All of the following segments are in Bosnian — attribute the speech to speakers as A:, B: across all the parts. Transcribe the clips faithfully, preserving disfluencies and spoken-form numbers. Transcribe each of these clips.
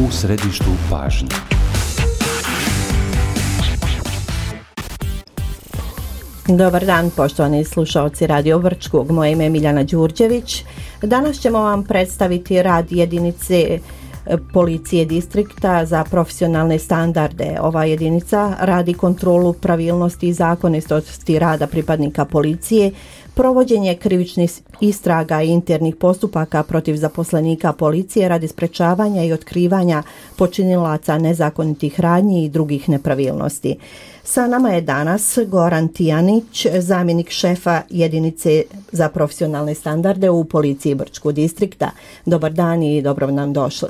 A: u središtu pažnje.
B: Dobar dan, poštovani slušaoci Radio Vrčkog. Moje ime je Miljana Đurđević. Danas ćemo vam predstaviti rad jedinice policije distrikta za profesionalne standarde. Ova jedinica radi kontrolu pravilnosti i zakonitosti rada pripadnika policije, provođenje krivičnih istraga i internih postupaka protiv zaposlenika policije radi sprečavanja i otkrivanja počinilaca nezakonitih radnji i drugih nepravilnosti. Sa nama je danas Goran Tijanić, zamjenik šefa jedinice za profesionalne standarde u policiji Brčkog distrikta. Dobar dan i dobro nam došli.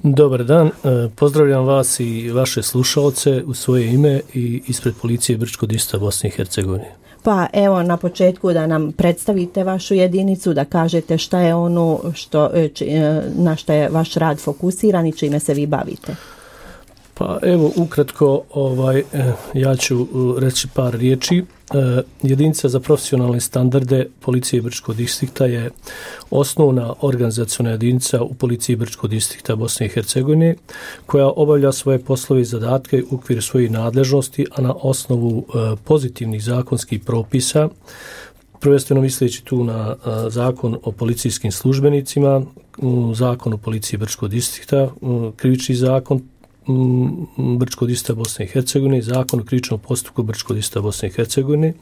C: Dobar dan, pozdravljam vas i vaše slušalce u svoje ime i ispred policije Brčkog distrikta Bosne i Hercegovine.
B: Pa evo na početku da nam predstavite vašu jedinicu, da kažete šta je ono što, na što je vaš rad fokusiran i čime se vi bavite.
C: Pa evo ukratko ovaj, ja ću reći par riječi. Jedinica za profesionalne standarde policije Brčkog distrikta je osnovna organizaciona jedinica u policiji Brčkog distrikta Bosne i Hercegovine koja obavlja svoje poslove i zadatke u okviru svojih nadležnosti, a na osnovu pozitivnih zakonskih propisa, prvenstveno misleći tu na zakon o policijskim službenicima, zakon o policiji Brčkog distrikta, krivični zakon Brčkog distrikta Bosne i Hercegovine, zakon o krivičnom postupku Brčkog distrikta Bosne i Hercegovine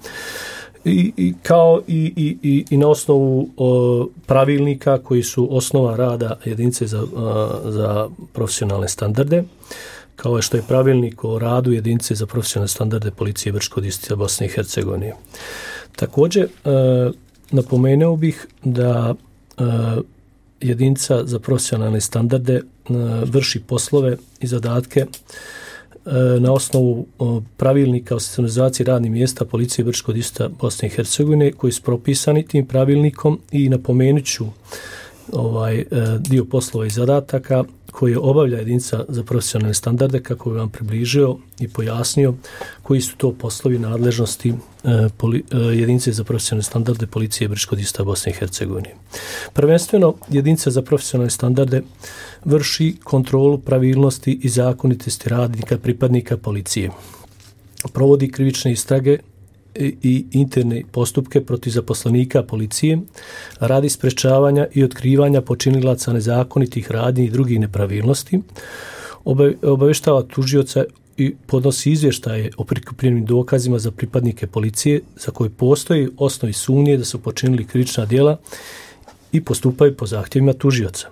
C: i, i kao i, i, i, i na osnovu o, pravilnika koji su osnova rada jedinice za, a, za profesionalne standarde, kao što je pravilnik o radu jedinice za profesionalne standarde policije Brčkog distrikta Bosne i Hercegovine. Također a, napomenuo bih da a, jedinica za profesionalne standarde vrši poslove i zadatke na osnovu pravilnika o sistematizaciji radnih mjesta policije Brčkog distrikta Bosne i Hercegovine koji su propisani tim pravilnikom i napomenut ću ovaj dio poslova i zadataka koje obavlja jedinica za profesionalne standarde kako bi vam približio i pojasnio koji su to poslovi nadležnosti poli, jedinice za profesionalne standarde policije Brčkog distrikta Bosne i Hercegovine. Prvenstveno jedinica za profesionalne standarde vrši kontrolu pravilnosti i zakonitosti radnika pripadnika policije. Provodi krivične istrage i interne postupke protiv zaposlenika policije radi sprečavanja i otkrivanja počinilaca nezakonitih radnji i drugih nepravilnosti, obavještava tužioca i podnosi izvještaje o prikupljenim dokazima za pripadnike policije za koje postoji osnovi sumnje da su počinili krivična djela i postupaju po zahtjevima tužioca.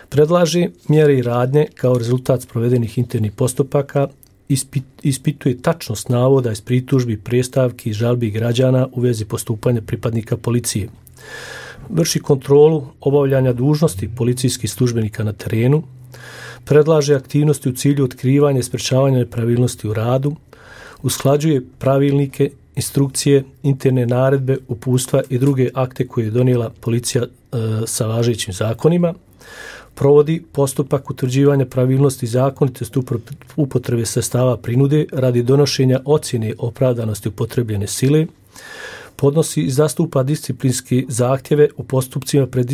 C: Predlaže mjere i radnje kao rezultat provedenih internih postupaka, Ispit, ispituje tačnost navoda iz pritužbi, predstavki i žalbi građana u vezi postupanja pripadnika policije. Vrši kontrolu obavljanja dužnosti policijskih službenika na terenu, predlaže aktivnosti u cilju otkrivanja i sprečavanja nepravilnosti u radu, usklađuje pravilnike, instrukcije, interne naredbe, uputstva i druge akte koje je donijela policija e, sa važećim zakonima, provodi postupak utvrđivanja pravilnosti i zakonitosti upotrebe sredstava prinude radi donošenja ocjene opravdanosti upotrebljene sile, podnosi i zastupa disciplinske zahtjeve u postupcima pred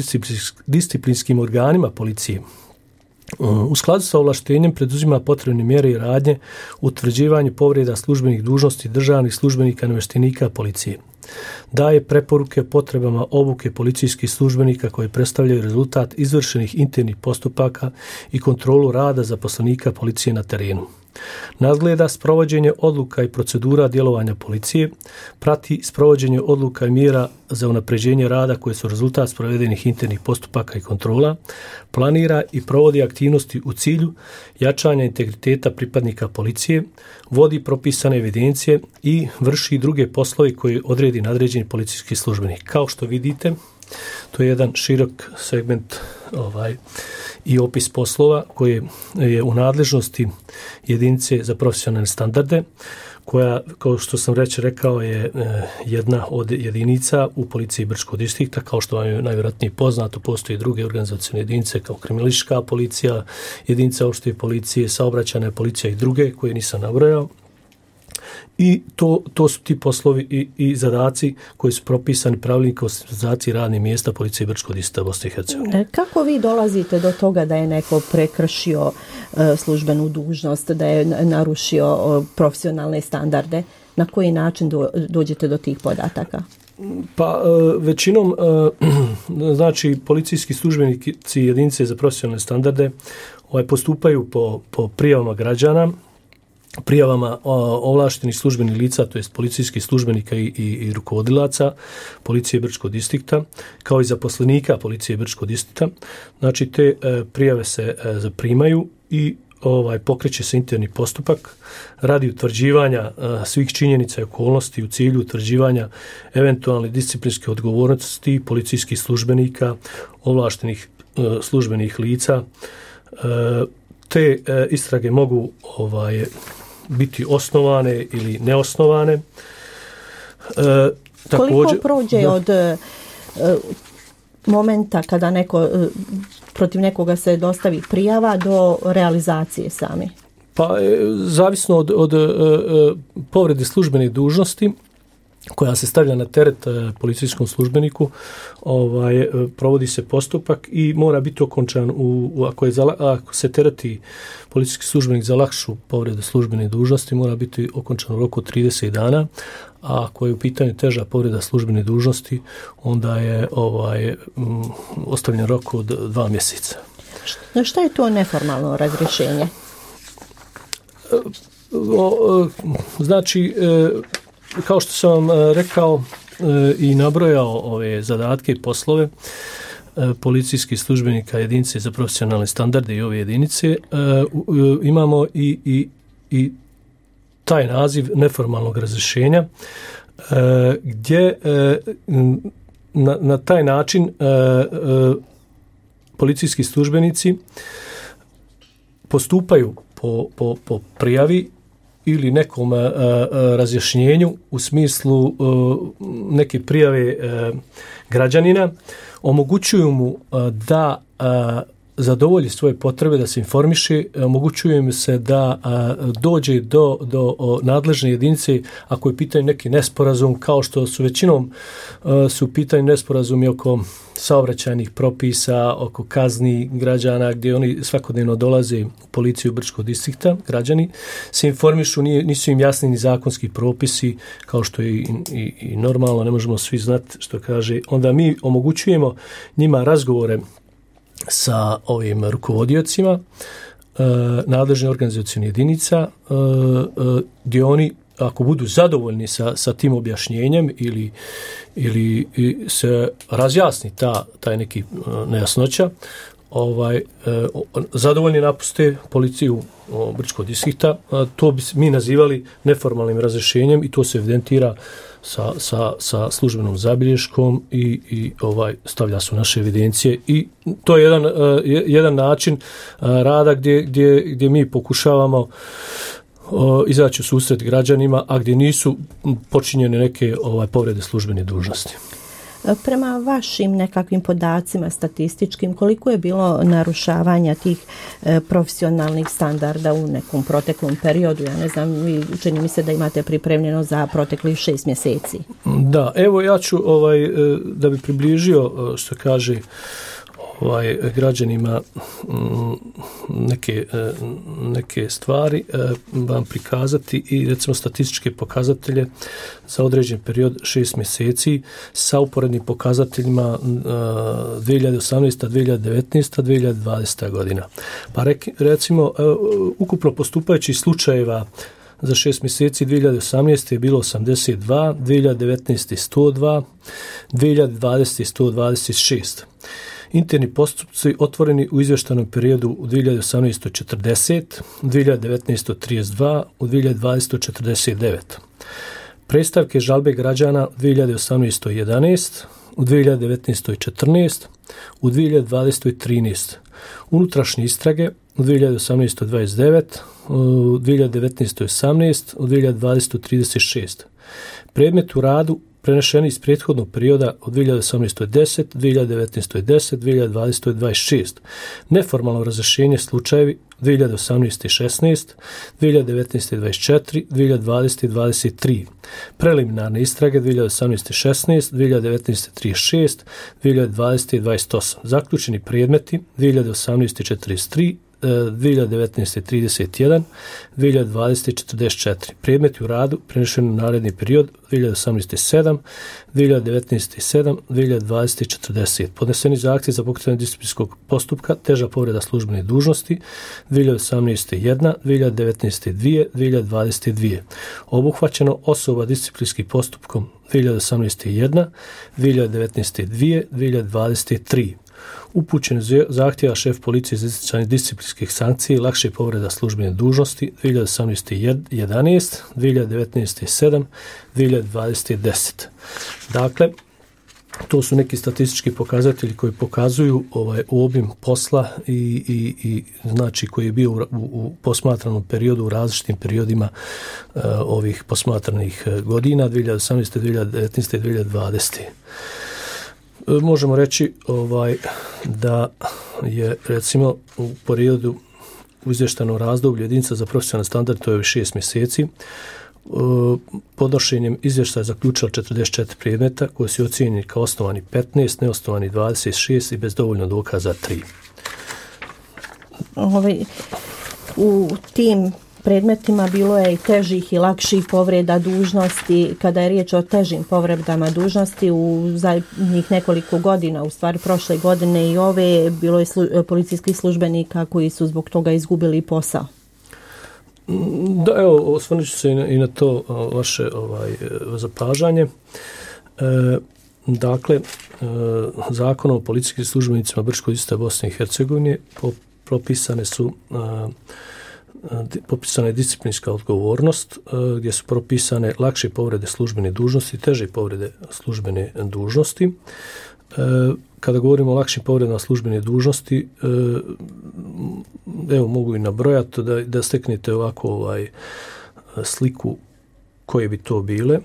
C: disciplinskim organima policije. U skladu sa ovlaštenjem preduzima potrebne mjere i radnje u utvrđivanju povreda službenih dužnosti državnih službenika i namještenika policije. Daje preporuke potrebama obuke policijskih službenika koji predstavljaju rezultat izvršenih internih postupaka i kontrolu rada zaposlenika policije na terenu. Nadgleda sprovođenje odluka i procedura djelovanja policije, prati sprovođenje odluka i mjera za unapređenje rada koje su rezultat sprovedenih internih postupaka i kontrola, planira i provodi aktivnosti u cilju jačanja integriteta pripadnika policije, vodi propisane evidencije i vrši druge poslove koje odredi nadređeni policijski službenik. Kao što vidite, to je jedan širok segment ovaj, i opis poslova koje je u nadležnosti jedinice za profesionalne standarde, koja, kao što sam reći rekao, je jedna od jedinica u policiji Brčkog distrikta. Kao što vam je najvjerojatnije poznato, postoje druge organizacione jedinice kao kriminalistička policija, jedinica opšte policije, saobraćajna policija i druge koje nisam nabrojao. i to, to su ti poslovi i, i zadaci koji su propisani pravilnikom o sistematizaciji radnih mjesta policije Brčkog distrikta Bosne i Hercegovine.
B: Kako vi dolazite do toga da je neko prekršio uh, službenu dužnost, da je narušio uh, profesionalne standarde? Na koji način do, dođete do tih podataka?
C: Pa većinom, znači, policijski službenici jedinice za profesionalne standarde ovaj, postupaju po, po prijavama građana, prijavama ovlaštenih službenih lica, to jest policijskih službenika i, i, i rukovodilaca policije Brčkog distrikta, kao i zaposlenika policije Brčkog distrikta. Znači, te prijave se zaprimaju i ovaj pokreće se interni postupak radi utvrđivanja uh, svih činjenica i okolnosti u cilju utvrđivanja eventualne disciplinske odgovornosti policijskih službenika, ovlaštenih uh, službenih lica. Uh, te uh, istrage mogu ovaj biti osnovane ili neosnovane. Uh,
B: također, koliko prođe da, od uh, momenta kada neko uh, protiv nekoga se dostavi prijava do realizacije sami?
C: Pa, zavisno od, od, od povrede službene dužnosti koja se stavlja na teret policijskom službeniku, ovaj, provodi se postupak i mora biti okončan u, u ako, je za, ako se tereti policijski službenik za lakšu povredu službene dužnosti, mora biti okončan u roku trideset dana, a ako je u pitanju teža povreda službene dužnosti, onda je ovaj m, ostavljen rok od dva mjeseca.
B: Šta je to neformalno razrješenje?
C: Znači, kao što sam vam rekao i nabrojao ove zadatke i poslove policijskih službenika jedinice za profesionalne standarde i ove jedinice, imamo i, i, i taj naziv neformalnog razrješenja, gdje na, na taj način policijski službenici postupaju po, po, po prijavi ili nekom a, a, razjašnjenju u smislu a, neke prijave a, građanina, omogućuju mu a, da a, zadovolji svoje potrebe, da se informiše, omogućuje mu se da a, dođe do, do o, nadležne jedinice ako je pitanje neki nesporazum, kao što su većinom a, su pitanje nesporazumi oko saobraćajnih propisa, oko kazni građana, gdje oni svakodnevno dolaze u policiju Brčkog distrikta, građani se informišu, nije, nisu im jasni ni zakonski propisi, kao što je i, i, i normalno, ne možemo svi znati što kaže. Onda mi omogućujemo njima razgovore sa ovim rukovodiocima e, nadležne organizacijne jedinica, e, e, gdje oni, ako budu zadovoljni sa, sa tim objašnjenjem ili, ili se razjasni ta, taj neki nejasnoća, ovaj, zadovoljni napuste policiju Brčkog distrikta. To bi mi nazivali neformalnim razrješenjem i to se evidentira sa, sa, sa službenom zabilješkom i, i ovaj stavlja su naše evidencije. I to je jedan, jedan način rada gdje, gdje, gdje mi pokušavamo izaći u susret građanima, a gdje nisu počinjene neke ovaj povrede službene dužnosti.
B: Prema vašim nekakvim podacima statističkim, koliko je bilo narušavanja tih e, profesionalnih standarda u nekom proteklom periodu? Ja ne znam, vi čini mi se da imate pripremljeno za proteklih šest mjeseci.
C: Da, evo ja ću ovaj, da bi približio što kaže ovaj građanima neke, neke stvari vam prikazati i recimo statističke pokazatelje za određen period šest mjeseci sa uporednim pokazateljima dvije hiljade osamnaesta, dvije hiljade devetnaesta, dvije hiljade dvadeseta godina. Pa recimo ukupno postupajućih slučajeva za šest mjeseci dvije hiljade osamnaeste je bilo osamdeset dva, dvije hiljade devetnaeste sto dva, dvije hiljade dvadesete sto dvadeset šest. Interni postupci otvoreni u izvještajnom periodu u dvije hiljade osamnaestoj četrdeset, u dvije hiljade devetnaestoj trideset dva, u dvije hiljade dvadesetoj četrdeset devet. Predstavke žalbe građana u dvije hiljade osamnaestoj jedanaest, u dvije hiljade devetnaestoj četrnaest, u dvije hiljade dvadesetoj trinaest. Unutrašnje istrage u dvije hiljade osamnaestoj dvadeset devet, u dvije hiljade devetnaestoj osamnaest, u dvije hiljade dvadesetoj trideset šest. Predmet u radu prenešeni iz prethodnog perioda od dvije hiljade osamnaeste. deset, dvije hiljade devetnaeste. deset, dvije hiljade dvadesete. dvadeset šest. Neformalno razrješenje slučajevi dvije hiljade osamnaeste. šesnaest, dvije hiljade devetnaeste. dvadeset četiri, dvije hiljade dvadesete. dvadeset tri. Preliminarne istrage dvije hiljade osamnaeste. šesnaest, dvije hiljade devetnaeste. trideset šest, dvije hiljade dvadesete. dvadeset osam. Zaključeni predmeti dvije hiljade osamnaeste. četrdeset tri, dvije hiljade devetnaeste. trideset jedan, dvije hiljade dvadesete. četrdeset četiri. Predmeti u radu prenešeni u naredni period dvije hiljade osamnaeste. sedam, dvije hiljade devetnaeste. sedam, dvije hiljade dvadesete. četrdeset. Podneseni zahtjev za pokretanje disciplinskog postupka, teža povreda službene dužnosti dvije hiljade osamnaeste. jedna, dvije hiljade devetnaeste. dvije, dvije hiljade dvadesete. dvije. Obuhvaćeno osoba disciplinskim postupkom dvije hiljade osamnaeste. jedna, dvije hiljade devetnaeste. dvije, dvije hiljade dvadesete. tri. Upućen zahtjeva šef policije za izricanje disciplinskih sankcija i lakše povreda službene dužnosti dvije hiljade osamnaeste. jedanaest, dvije hiljade devetnaeste. sedam, dvije hiljade dvadesete. deset. Dakle, to su neki statistički pokazatelji koji pokazuju ovaj obim posla i, i, i znači koji je bio u, u posmatranom periodu, u različitim periodima uh, ovih posmatranih godina dvije hiljade osamnaeste. dvije hiljade devetnaeste. dvije hiljade dvadesete. Možemo reći ovaj da je recimo u periodu u izvještajnom razdoblju jedinica za profesionalni standard, to je šest mjeseci, podnošenjem izvještaja zaključila četrdeset četiri predmeta koji su ocijenjeni kao osnovani petnaest, neosnovani dvadeset šest i bez dovoljno dokaza tri.
B: Ovaj, u tim predmetima bilo je i težih i lakših povreda dužnosti. Kada je riječ o težim povredama dužnosti, u zadnjih nekoliko godina, u stvari prošle godine i ove, bilo je slu, policijskih službenika koji su zbog toga izgubili posao.
C: Da, evo, osvrnut ću se i na, i na to vaše ovaj, zapažanje. E, dakle, e, Zakonom o policijskim službenicima Brčkog distrikta Bosne i Hercegovine po, propisane su a, popisana je disciplinska odgovornost gdje su propisane lakše povrede službene dužnosti, teže povrede službene dužnosti. Kada govorimo o lakšim povredama službene dužnosti, evo mogu i nabrojati da, da steknete ovako ovaj sliku koje bi to bile.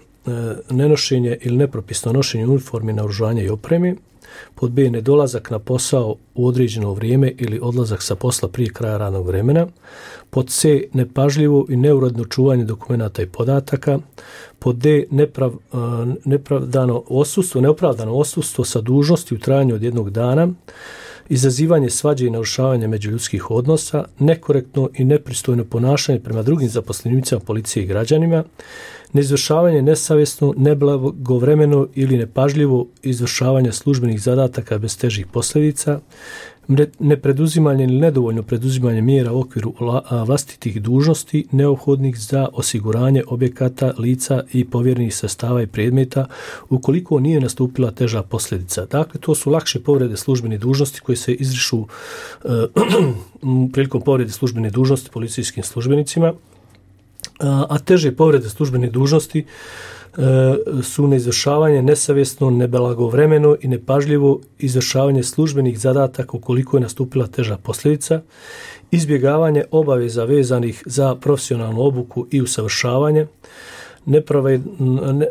C: Nenošenje ili nepropisno nošenje uniformi, naoružanja i opreme. Pod B, nedolazak na posao u određeno vrijeme ili odlazak sa posla prije kraja radnog vremena. Pod C, nepažljivo i neuredno čuvanje dokumenata i podataka. Pod D, neprav, nepravdano odsustvo, neopravdano odsustvo sa dužnosti u trajanju od jednog dana. Izazivanje svađe i narušavanje međuljudskih odnosa, nekorektno i nepristojno ponašanje prema drugim zaposlenicima policije i građanima, neizvršavanje nesavjesno, neblagovremeno ili nepažljivo izvršavanje službenih zadataka bez težih posljedica, nepreduzimanje ili nedovoljno preduzimanje mjera u okviru vlastitih dužnosti neophodnih za osiguranje objekata, lica i povjerenih sredstava i predmeta ukoliko nije nastupila teža posljedica. Dakle, to su lakše povrede službene dužnosti koje se izrišu uh, prilikom povrede službene dužnosti policijskim službenicima, a teže povrede službene dužnosti su neizvršavanje nesavjesno, neblagovremeno i nepažljivo izvršavanje službenih zadataka ukoliko je nastupila teža posljedica, izbjegavanje obaveza vezanih za profesionalnu obuku i usavršavanje,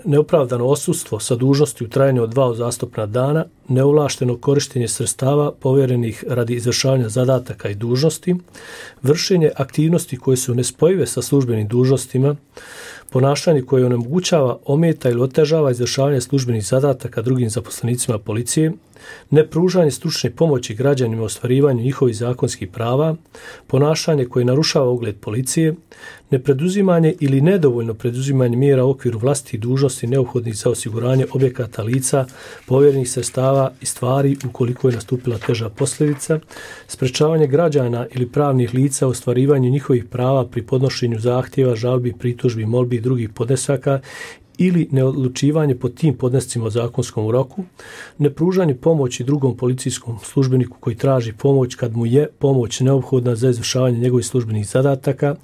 C: neopravdano odsustvo sa dužnosti u trajanju od dva uzastopna dana, neovlašteno korištenje sredstava povjerenih radi izvršavanja zadataka i dužnosti, vršenje aktivnosti koje su nespojive sa službenim dužnostima, ponašanje koje onemogućava, ometa ili otežava izvršavanje službenih zadataka drugim zaposlenicima policije, nepružanje stručne pomoći građanima u ostvarivanju njihovih zakonskih prava, ponašanje koje narušava ugled policije, nepreduzimanje ili nedovoljno preduzimanje mjera u okviru vlastitih dužnosti neophodnih za osiguranje objekata, lica, povjerenih sredstava i stvari ukoliko je nastupila teža posljedica, sprečavanje građana ili pravnih lica u ostvarivanju njihovih prava pri podnošenju zahtjeva, žalbi, pritužbi, molbi i drugih podnesaka ili neodlučivanje po tim podnescima o zakonskom roku, nepružanje pomoći drugom policijskom službeniku koji traži pomoć kad mu je pomoć neophodna za izvršavanje njegovih službenih zadataka,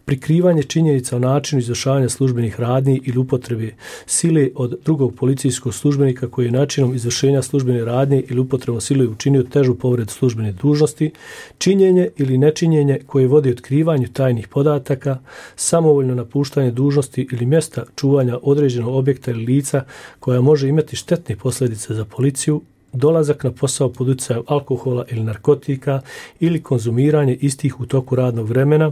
C: prikrivanje činjenica o načinu izvršavanja službenih radnji ili upotrebi sile od drugog policijskog službenika koji je načinom izvršenja službene radnje ili upotrebom sile učinio težu povredu službene dužnosti, činjenje ili nečinjenje koje vodi otkrivanju tajnih podataka, samovoljno napuštanje dužnosti ili mjesta čuvanja određenih određenog objekta ili lica koja može imati štetne posljedice za policiju, dolazak na posao pod utjecajem alkohola ili narkotika ili konzumiranje istih u toku radnog vremena,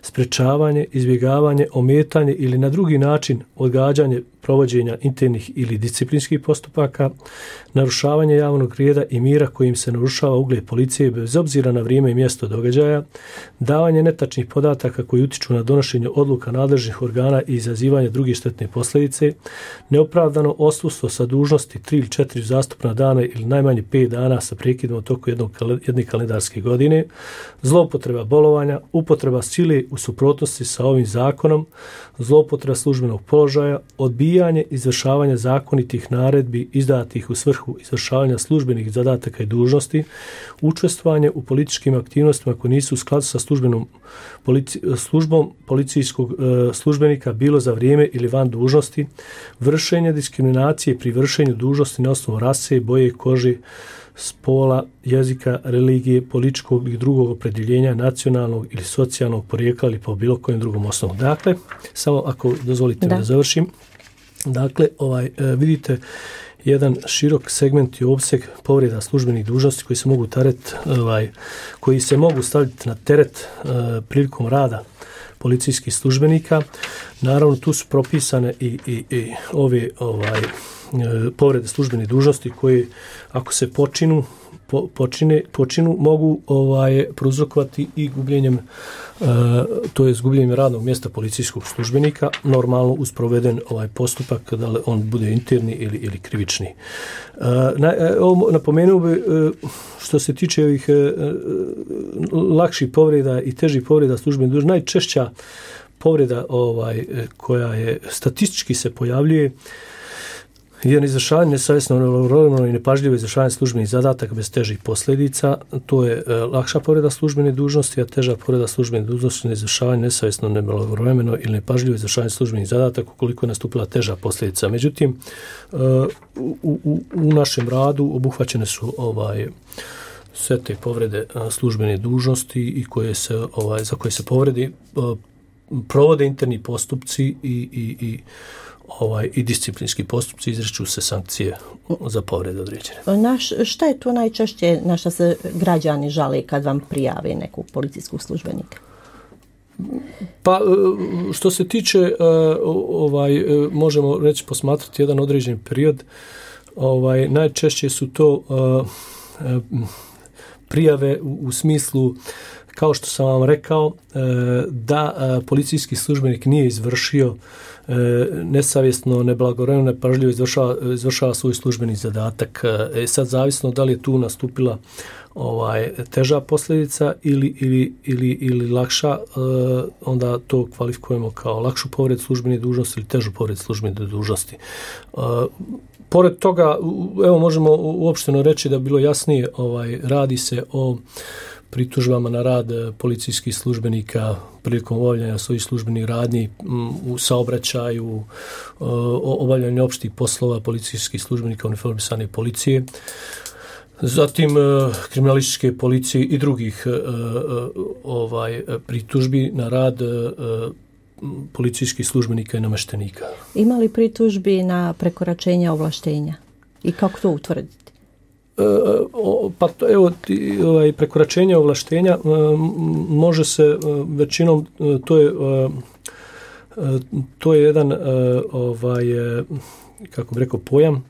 C: sprečavanje, izbjegavanje, ometanje ili na drugi način odgađanje provođenja internih ili disciplinskih postupaka, narušavanje javnog reda i mira kojim se narušava ugled policije bez obzira na vrijeme i mjesto događaja, davanje netačnih podataka koji utiču na donošenje odluka nadležnih organa i izazivanje drugih štetne posljedice, neopravdano odsustvo sa dužnosti tri ili četiri zastupna dana ili najmanje pet dana sa prekidom u toku jednog, jedne kalendarske godine, zloupotreba bolovanja, upotreba sile u suprotnosti sa ovim zakonom, zloupotreba službenog položaja, odbijanje izvršavanja zakonitih naredbi izdatih u svrhu izvršavanja službenih zadataka i dužnosti, učestvovanje u političkim aktivnostima koje nisu u skladu sa službenom polici, službom policijskog e, službenika bilo za vrijeme ili van dužnosti, vršenje diskriminacije pri vršenju dužnosti na osnovu rase, boje kože, spola, jezika, religije, političkog i drugog opredjeljenja, nacionalnog ili socijalnog porijekla ili po bilo kojem drugom osnovu. Dakle, samo ako dozvolite da, da završim, dakle, ovaj, vidite jedan širok segment i opseg povreda službenih dužnosti koji se mogu teret, ovaj, koji se mogu staviti na teret uh, prilikom rada policijskih službenika. Naravno, tu su propisane i, i, i ove ovaj, povrede službenih dužnosti koje, ako se počinu, po, počine, počinu mogu ovaj, prouzrokovati i gubljenjem, uh, to je gubljenjem radnog mjesta policijskog službenika, normalno uz proveden ovaj postupak, da li on bude interni ili, ili krivični. Uh, na, uh, napomenuo bi, uh, što se tiče ovih uh, lakših povreda i težih povreda službenih dužnosti, najčešća povreda ovaj, koja je statistički se pojavljuje jedan izvršavanje nesavjesno, nerovno i nepažljivo izvršavanje službenih zadataka bez težih posljedica. To je e, lakša povreda službene dužnosti, a teža povreda službene dužnosti je izvršavanje nesavjesno, nevremeno ili nepažljivo izvršavanje službenih zadataka ukoliko je nastupila teža posljedica. Međutim, e, u, u, u našem radu obuhvaćene su ovaj sve te povrede službene dužnosti i koje se ovaj za koje se povredi provode interni postupci i i i ovaj i disciplinski postupci, izriču se sankcije za povrede određene.
B: Naš, šta je to najčešće na što se građani žale kad vam prijave nekog policijskog službenika?
C: Pa što se tiče ovaj možemo reći posmatrati jedan određen period, ovaj najčešće su to prijave u, u smislu, kao što sam vam rekao, da policijski službenik nije izvršio nesavjesno, neblagovremeno, nepažljivo izvršava, izvršava svoj službeni zadatak. E sad, zavisno da li je tu nastupila ovaj teža posljedica ili, ili, ili, ili lakša, onda to kvalifikujemo kao lakšu povredu službene dužnosti ili težu povredu službene dužnosti. Pored toga, evo možemo uopšteno reći da bilo jasnije, ovaj radi se o pritužbama na rad policijskih službenika prilikom obavljanja svojih službenih radnji u saobraćaju, obavljanju opštih poslova policijskih službenika uniformisane policije, zatim kriminalističke policije i drugih ovaj pritužbi na rad policijskih službenika i namještenika.
B: Ima li pritužbi na prekoračenje ovlaštenja i kako to utvrditi?
C: E, pa to, evo, ovaj, prekoračenje ovlaštenja može se većinom, to je to je jedan ovaj, kako bih rekao, pojam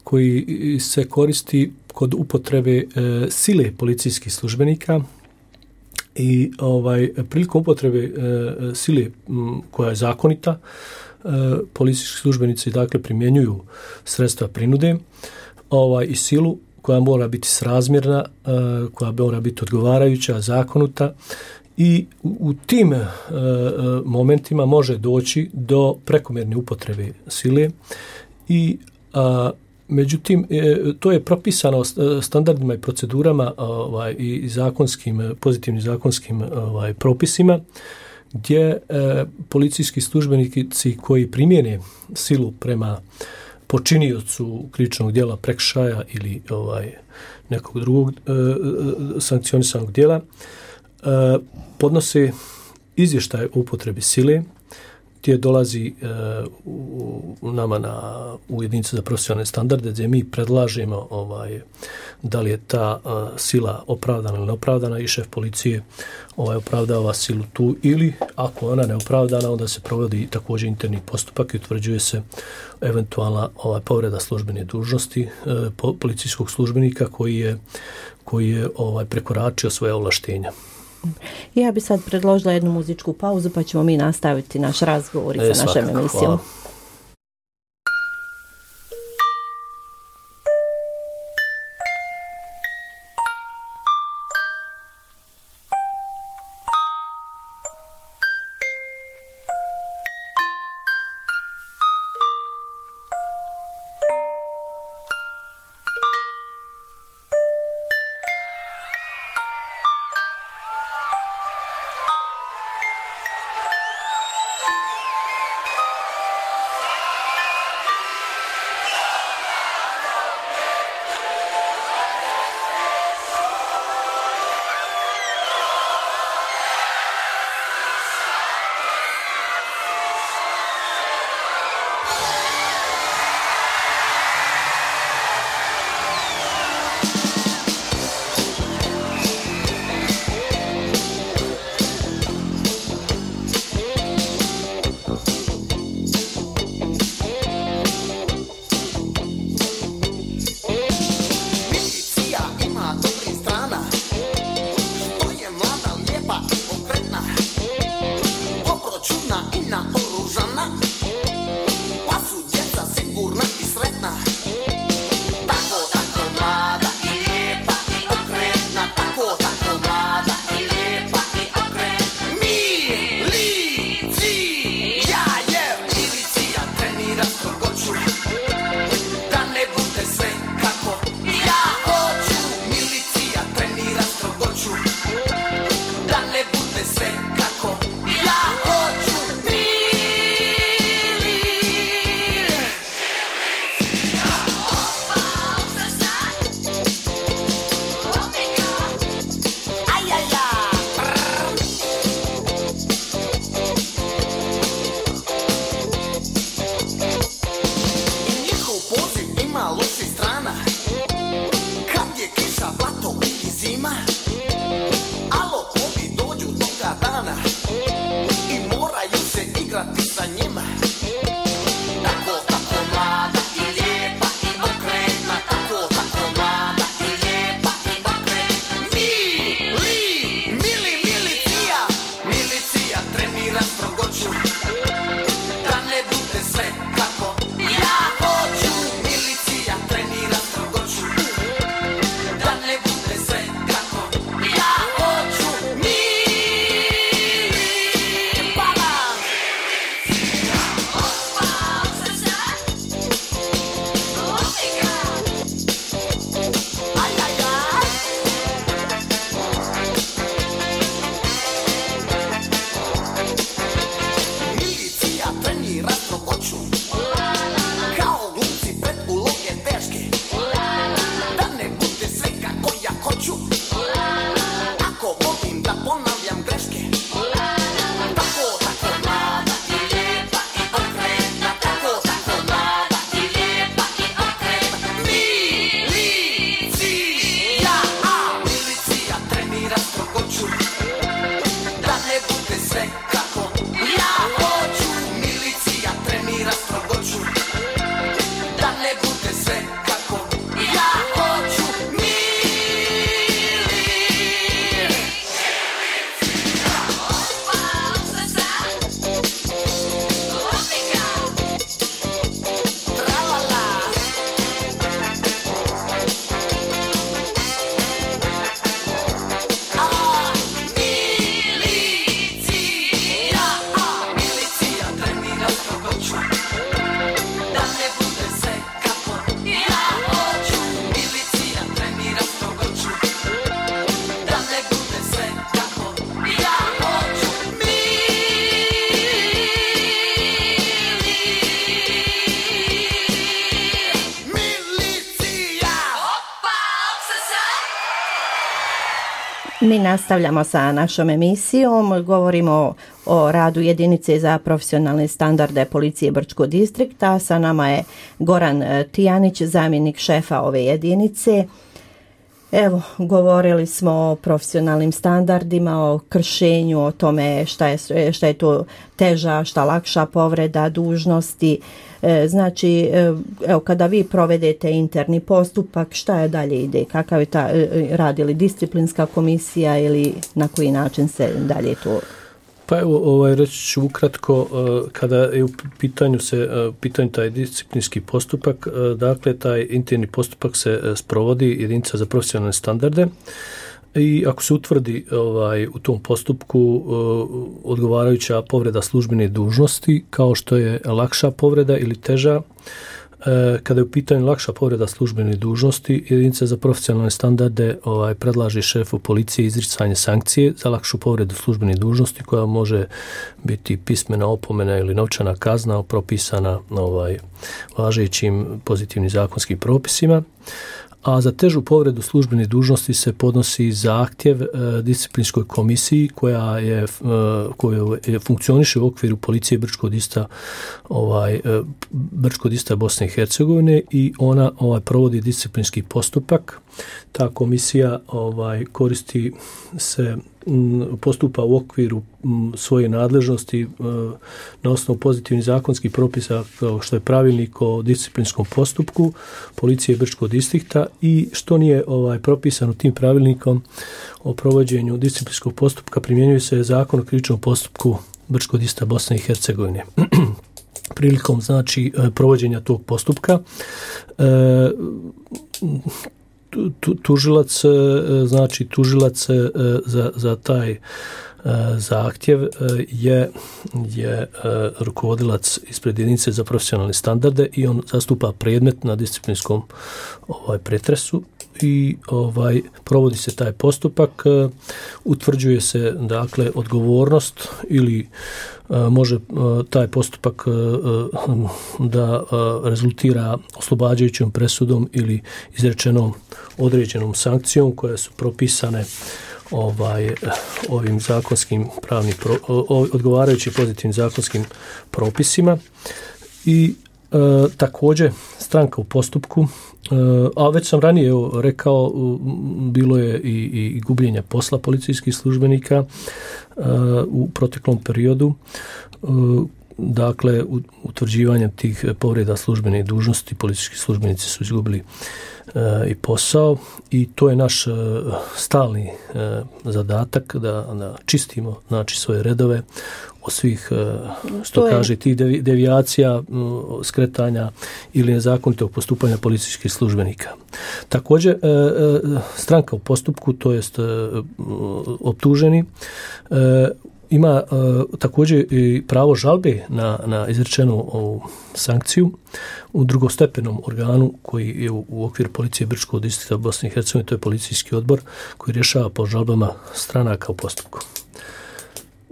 C: koji se koristi kod upotrebe sile policijskih službenika i ovaj prilikom upotrebe e, sile m, koja je zakonita, e, policijski službenici dakle primjenjuju sredstva prinude, ovaj i silu koja mora biti srazmjerna, e, koja mora biti odgovarajuća, zakonuta, i u, u tim e, momentima može doći do prekomjerne upotrebe sile i a, međutim, to je propisano standardima i procedurama ovaj, i zakonskim, pozitivnim zakonskim ovaj, propisima, gdje e, policijski službenici koji primjene silu prema počiniocu krivičnog djela, prekršaja ili ovaj, nekog drugog e, sankcionisanog djela, e, podnose izvještaj o upotrebi sile, gdje dolazi u, u nama na, u jedinicu za profesionalne standarde, gdje mi predlažemo ovaj, da li je ta uh, sila opravdana ili neopravdana i šef policije ovaj, opravdava silu tu, ili ako ona neopravdana, onda se provodi također interni postupak i utvrđuje se eventualna ovaj, povreda službene dužnosti uh, po, policijskog službenika koji je, koji je ovaj, prekoračio svoje ovlaštenja.
B: Ja bi sad predložila jednu muzičku pauzu, pa ćemo mi nastaviti naš razgovor i
C: e,
B: sa našem emisijom.
C: Hvala.
B: Mi nastavljamo sa našom emisijom, govorimo o radu jedinice za profesionalne standarde policije Brčkog distrikta. Sa nama je Goran Tijanić, zamjenik šefa ove jedinice. Evo, govorili smo o profesionalnim standardima, o kršenju, o tome šta je, šta je to teža, šta lakša povreda dužnosti. E, znači, evo, kada vi provedete interni postupak, šta je dalje ide? Kakav je ta, radi li disciplinska komisija ili na koji način se dalje to...
C: Pa evo, ovaj, reći ću ukratko, kada je u pitanju se pitanju taj disciplinski postupak, dakle, taj interni postupak se sprovodi jedinica za profesionalne standarde i ako se utvrdi ovaj, u tom postupku odgovarajuća povreda službene dužnosti, kao što je lakša povreda ili teža, kada je u pitanju lakša povreda službene dužnosti, jedinica za profesionalne standarde ovaj, predlaže šefu policije izricanje sankcije za lakšu povredu službene dužnosti koja može biti pismena opomena ili novčana kazna propisana ovaj, važećim pozitivnim zakonskim propisima. A za težu povredu službene dužnosti se podnosi zahtjev e, disciplinskoj komisiji koja je, e, koja je funkcioniše u okviru policije Brčkog distrikta ovaj, e, Brčkog distrikta Bosne i Hercegovine i ona ovaj, provodi disciplinski postupak. Ta komisija ovaj, koristi se postupa u okviru svoje nadležnosti na osnovu pozitivnih zakonskih propisa kao što je pravilnik o disciplinskom postupku policije Brčkog distrikta i što nije ovaj propisano tim pravilnikom o provođenju disciplinskog postupka primjenjuje se zakon o krivičnom postupku Brčkog distrikta Bosne i Hercegovine. Prilikom znači provođenja tog postupka e, tužilac, znači tužilac za, za taj zahtjev je, je rukovodilac ispred jedinice za profesionalne standarde i on zastupa predmet na disciplinskom ovaj, pretresu i ovaj provodi se taj postupak, utvrđuje se dakle odgovornost ili može taj postupak da rezultira oslobađajućom presudom ili izrečenom određenom sankcijom koje su propisane ovaj ovim zakonskim pravnim odgovarajući pozitivnim zakonskim propisima i e, također stranka u postupku, e, a već sam ranije evo, rekao, bilo je i, i gubljenja posla policijskih službenika e, u proteklom periodu, e, dakle utvrđivanjem tih povreda službene dužnosti policijski službenici su izgubili i posao i to je naš stalni zadatak da, da čistimo znači svoje redove od svih što je... kaže tih devijacija, skretanja ili nezakonitog postupanja policijskih službenika. Također stranka u postupku, to jest optuženi, ima uh, također i pravo žalbe na, na izrečenu ovu sankciju u drugostepenom organu koji je u, u okviru policije Brčkog distrikta Bosne i Hercegovine, to je policijski odbor koji rješava po žalbama stranaka u postupku.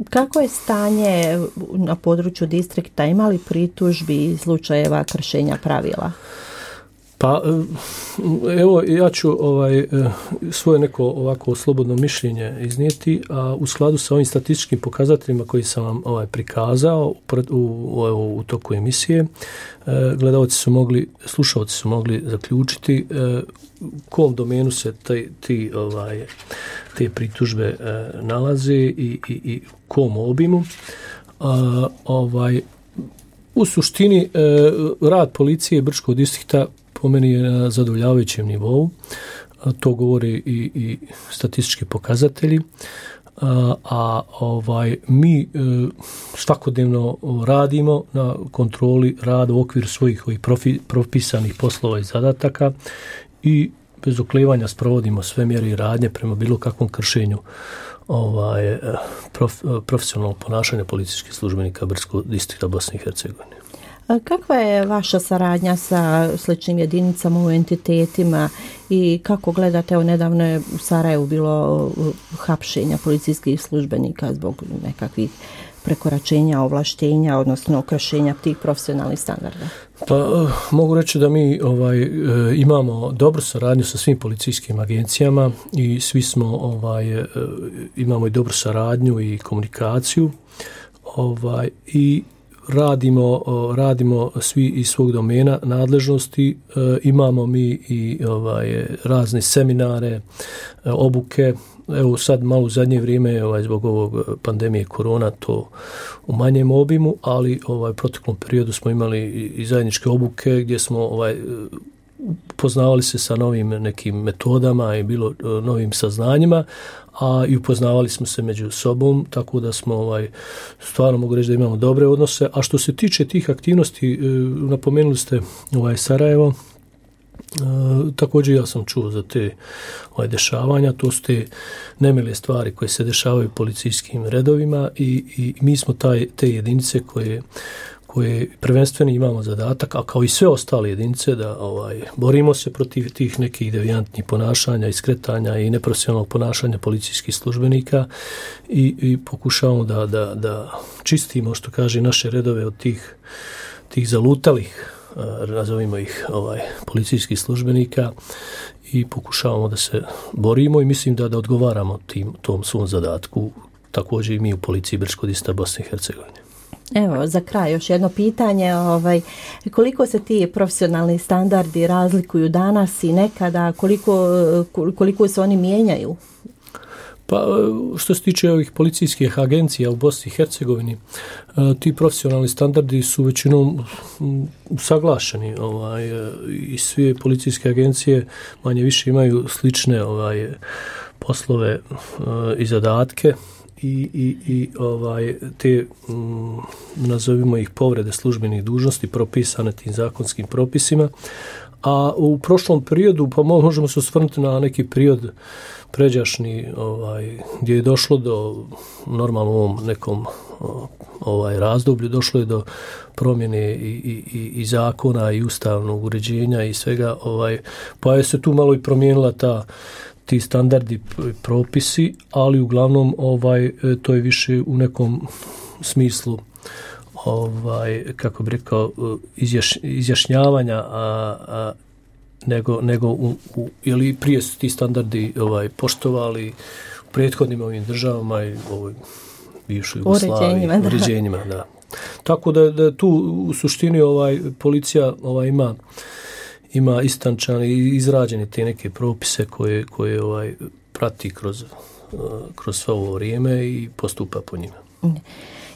B: Kako je stanje na području distrikta? Ima li pritužbi i slučajeva kršenja pravila?
C: Pa evo ja ću ovaj svoje neko ovako slobodno mišljenje iznijeti, a u skladu sa ovim statističkim pokazateljima koji sam vam ovaj prikazao u, u, u toku emisije, gledaoci su mogli, slušaoci su mogli zaključiti u kom domenu se taj, ti ovaj te pritužbe nalaze i i i u kom obimu. A, ovaj u suštini rad policije Brčkog distrikta po meni je na zadovoljavajućem nivou, to govore i, i statistički pokazatelji, a, a ovaj mi e, svakodnevno radimo na kontroli rada u okviru svojih ovih profi, propisanih poslova i zadataka i bez oklevanja sprovodimo sve mjere i radnje prema bilo kakvom kršenju ovaj prof, profesionalnog ponašanja policijskih službenika Brčkog distrikta Bosne i Hercegovine.
B: Kakva je vaša saradnja sa sličnim jedinicama u entitetima i kako gledate, evo nedavno je u Sarajevu bilo hapšenja policijskih službenika zbog nekakvih prekoračenja ovlaštenja, odnosno kršenja tih profesionalnih standarda?
C: Pa mogu reći da mi ovaj e, imamo dobru saradnju sa svim policijskim agencijama i svi smo ovaj e, imamo i dobru saradnju i komunikaciju ovaj i radimo radimo svi iz svog domena nadležnosti, e, imamo mi i ovaj razne seminare, e, obuke. Evo sad malo u zadnje vrijeme ovaj zbog ovog pandemije korona to u manjem obimu, ali ovaj proteklom periodu smo imali i zajedničke obuke gdje smo ovaj upoznavali se sa novim nekim metodama i bilo novim saznanjima, a i upoznavali smo se među sobom, tako da smo ovaj stvarno mogu reći da imamo dobre odnose. A što se tiče tih aktivnosti, napomenuli ste ovaj Sarajevo. E, također ja sam čuo za te ovaj, dešavanja, to su te nemile stvari koje se dešavaju u policijskim redovima i, i mi smo taj, te jedinice koje, koje prvenstveno imamo zadatak, a kao i sve ostale jedinice da ovaj, borimo se protiv tih nekih devijantnih ponašanja, iskretanja i neprofesionalnog ponašanja policijskih službenika i, i pokušavamo da, da, da čistimo, što kaže, naše redove od tih, tih zalutalih, nazovimo ih ovaj policijskih službenika i pokušavamo da se borimo i mislim da da odgovaramo tim tom svom zadatku, također i mi u policiji Brčko-Distrikta Bosne i Hercegovine.
B: Evo, za kraj još jedno pitanje, ovaj, koliko se ti profesionalni standardi razlikuju danas i nekada, koliko, koliko se oni mijenjaju?
C: Pa što se tiče ovih policijskih agencija u Bosni i Hercegovini, ti profesionalni standardi su većinom usaglašeni, ovaj, i sve policijske agencije manje više imaju slične ovaj poslove i zadatke i, i, i ovaj te m, nazovimo ih povrede službenih dužnosti propisane tim zakonskim propisima. A u prošlom periodu, pa možemo se osvrnuti na neki period pređašnji, ovaj, gdje je došlo do normalno u ovom nekom ovaj razdoblju, došlo je do promjene i, i, i zakona i ustavnog uređenja i svega, ovaj, pa je se tu malo i promijenila ta ti standardi propisi, ali uglavnom ovaj to je više u nekom smislu ovaj kako bih rekao izjaš, izjašnjavanja a, a nego nego u, u ili prije su ti standardi ovaj poštovali u prethodnim ovim državama i ovoj bivšoj Jugoslaviji, uređenjima, da. Tako da, da tu u suštini ovaj policija ovaj ima ima istančan i izrađene te neke propise koje koje ovaj prati kroz kroz svo ovo vrijeme i postupa po njima.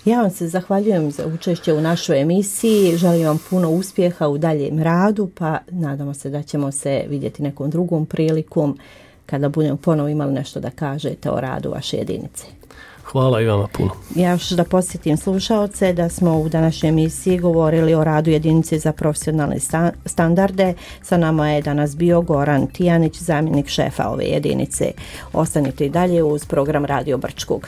B: Ja vam se zahvaljujem za učešće u našoj emisiji, želim vam puno uspjeha u daljem radu, pa nadamo se da ćemo se vidjeti nekom drugom prilikom kada budemo ponovo imali nešto da kažete o radu vaše jedinice.
C: Hvala i vama puno.
B: Ja još da posjetim slušaoce da smo u današnjoj emisiji govorili o radu jedinice za profesionalne sta- standarde. Sa nama je danas bio Goran Tijanić, zamjenik šefa ove jedinice. Ostanite i dalje uz program Radio Brčkog.